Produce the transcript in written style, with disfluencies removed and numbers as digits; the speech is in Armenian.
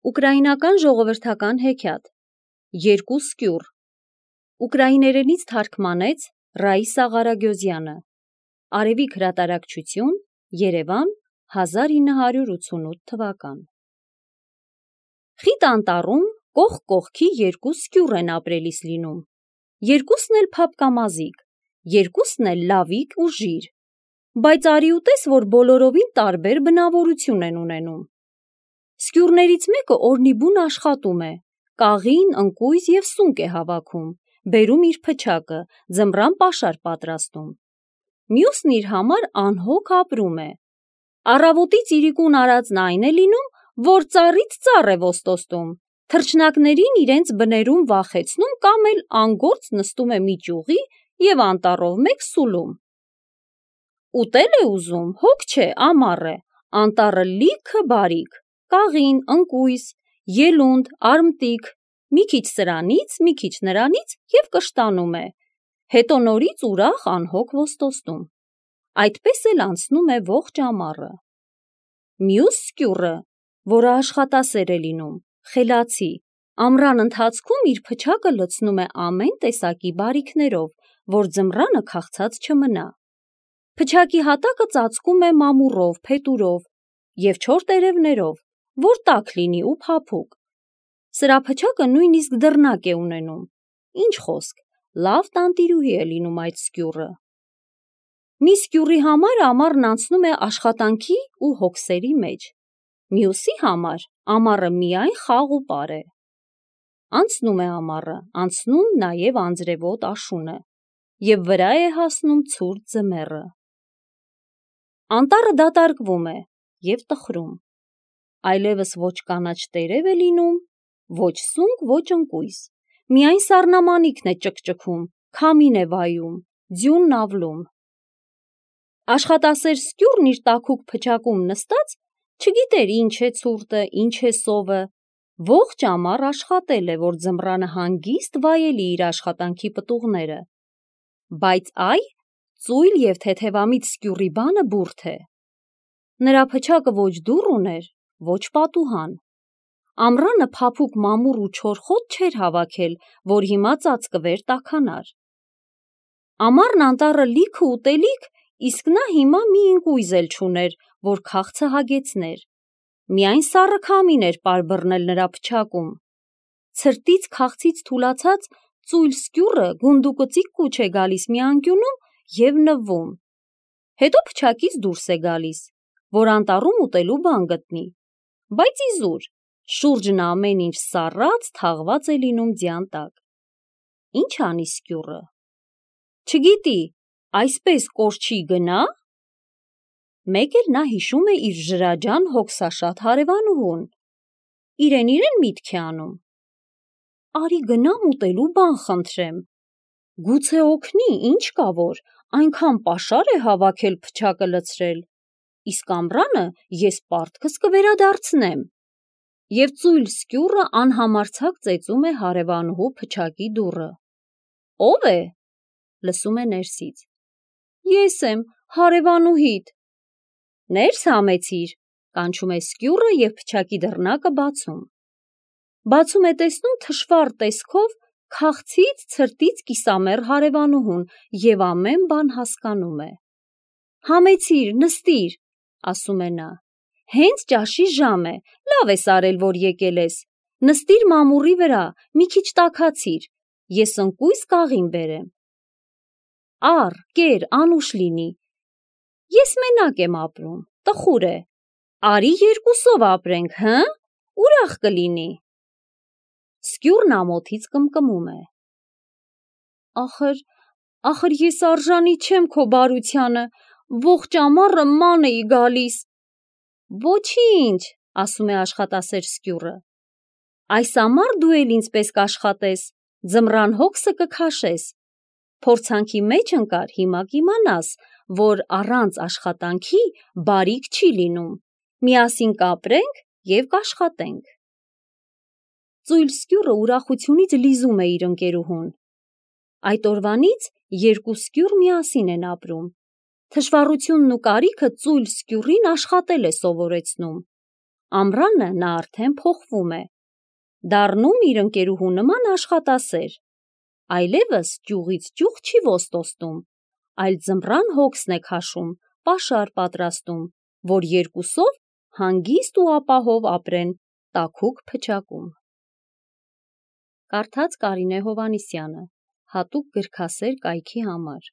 Ուկրաինական ժողովրդական հեքիաթ Երկու սկյուռ Ուկրաիներենից թարգմանեց Ռաիսա Ղարագյոզյանը Արևիկ հրատարակչություն Երևան 1988 թվական Խիտ անտառում կողք կողքի երկու սկյուռ են ապրելիս լինում Երկուսն էլ փափկամազիկ Երկուսն էլ լավիկ ու ժիր Բայց արի ուտես որ բոլորովին տարբեր բնավորություն են ունենում Սկյուռներից մեկը օրնիբուն աշխատում է, կաղին, ընկույզ և սունկ է հավաքում, բերում իր փչակը, ձմռան պաշար պատրաստում։ Մյուսն իր համար անհոգ ապրում է։ Առավոտից իրիկուն արածն այն է լինում, որ ծառից ծառ է ոստոստում, թռչնակներին իրենց բներում վախեցնում կամ էլ անգործ նստում է մի ճյուղի և անտառով մեկ սուլում։ Ուտել է ուզում, հոգ չէ, ամառ է, անտառը լիքը բարիք, կաղին, ընկույզ, ելունդ, արմտիկ, մի քիչ սրանից, մի քիչ նրանից և կշտանում է, հետո նորից ուրախ անհոգ ոստոստում։ Այդպես էլ անցնում է ողջ ամառը։ Մյուս սկյուռը, որը աշխատասեր է լինում, խելացի, ամռան ընթացքում իր փչակը լցնում է ամեն տեսակի բարիքներով, որ ձմռանը քաղցած չմնա։ Փչակի հատակը ծածկում է մամուռով, փետուրով և չոր տերևներով, որ տաք լինի ու փափուկ։ Սրա փչակը նույնիսկ դռնակ է ունենում։ Ինչ խոսք, լավ տանտիրուհի է լինում այդ սկյուռը։ Մի սկյուռի համար ամառն անցնում է աշխատանքի ու հոգսերի մեջ։ Մյուսի համար ամառը միայն խաղ ու պար է։ Անցնում է ամառը, անցնում նաև անձրևոտ աշունը և վրա է հասնում ցուրտ ձմեռը։ Անտառը դատարկվում է և տխրում։ Այլևս ոչ կանաչ տերև է լինում, ոչ սունկ, ոչ ընկույզ, միայն սառնամանիքն է ճկճքում, քամին է վայում, ձյունն ավլում։ Աշխատասեր սկյուռն իր տաքուկ փչակում նստած չգիտեր ինչ է ցուրտը, ինչ է սովը, ողջ ամառ աշխատել է, որ ձմռանը հանգիստ վայելի իր աշխատանքի պտուղները, բայց այ ծույլ և թեթևամիտ սկյուռի բանը բուրդ է։ Նրա փչակը ոչ դուռ ուներ, ոչ պատուհան։ Ամռանը փափուկ մամուռ ու չոր խոտ չէր հավաքել, որ հիմա ծածկվեր տաքանար։ Ամառն անտառը լիքը ուտելիք, իսկ նա հիմա մի ընկույզ էլ չուներ, որ քաղցը հագեցներ։ Միայն սառը քամին էր պարբռնել նրա փչակում։ Ցրտից քաղցից թուլացած ծույլ սկյուռը գունդուկծիկ կուչ է գալիս մի անկյունում և նվվում։ Հետո փչակից դուրս է գալիս, որ անտառում ուտելու բան գտնի, բայց իզուր, շուրջն ամեն ինչ սառած, թաղված է լինում ձյան տակ։ Ինչ անի սկյուռը։ Չգիտի, այսպես կորչի գնա՞։ Մեկ էլ նա հիշում է իր ժրաջան հոգսաշատ հարևանուհուն։ Իրեն միտք է անում. արի գնամ ուտելու բան խնդրեմ։ Գուցե օգնի, ինչ կա որ, այնքան պաշար է հավաքել փչակը լցրել, իսկ ամռանը ես պարտքս կվերադարձնեմ։ Եվ ծույլ սկյուռը անհամարձակ ծեծում է հարևանուհու փչակի դուռը։ Ո՞վ է։ Լսում է ներսից։ Ես եմ, հարևանուհիդ։ Ներս համեցիր, կանչում է սկյուռը և փչակի դռնակը բացում։ Բացում է տեսնում թշվառ տեսքով քաղցից, ցրտից կիսամեռ հարևանուհուն և ամեն բան հասկանում է։ Համեցիր, նստիր, ասում է նա, հենց ճաշի ժամ է, լավ ես արել, որ եկել ես, նստիր մամուռի վրա, մի քիչ տաքացիր, ես ընկույզ կաղին բերեմ։ Առ, կեր, անուշ լինի, ես մենակ եմ ապրում, տխուր է, արի երկուսով ապրենք, հը՞, ուրախ կլինի։ Սկյուռն ամոթից կմկմում է։ Ախր ես արժանի չեմ քո բարությանը, ողջ ամառը ման էի գալիս։ Ոչինչ, ասում է աշխատասեր սկյուռը, այս ամառ դու էլ ինձպես կաշխատես, ձմռան հոգսը կքաշես, փորձանքի մեջ ընկար, հիմա կիմանաս, որ առանց աշխատանքի բարիք չի լինում, միասին կապրենք և կաշխատենք։ Ծույլ սկյուռը ուրախությունից լիզում է իր ընկերուհուն։ Այդ օրվանից երկու սկյուռ միասին են ապրում։ Թշվառությունն ու կարիքը ծույլ սկյուռին աշխատել է սովորեցնում։ Ամռանը նա արդեն փոխվում է, դառնում իր ընկերուհու նման աշխատասեր, այլևս ճյուղից ճյուղ չի ոստոստում, այլ ձմռան հոգսն է քաշում, պաշար պատրաստում, որ երկուսով հանգիստ ու ապահով ապրեն տաքուկ փչակում։ Կարդաց Կարինե Հովհաննիսյանը, հատուկ գրքասեր կայքի համար։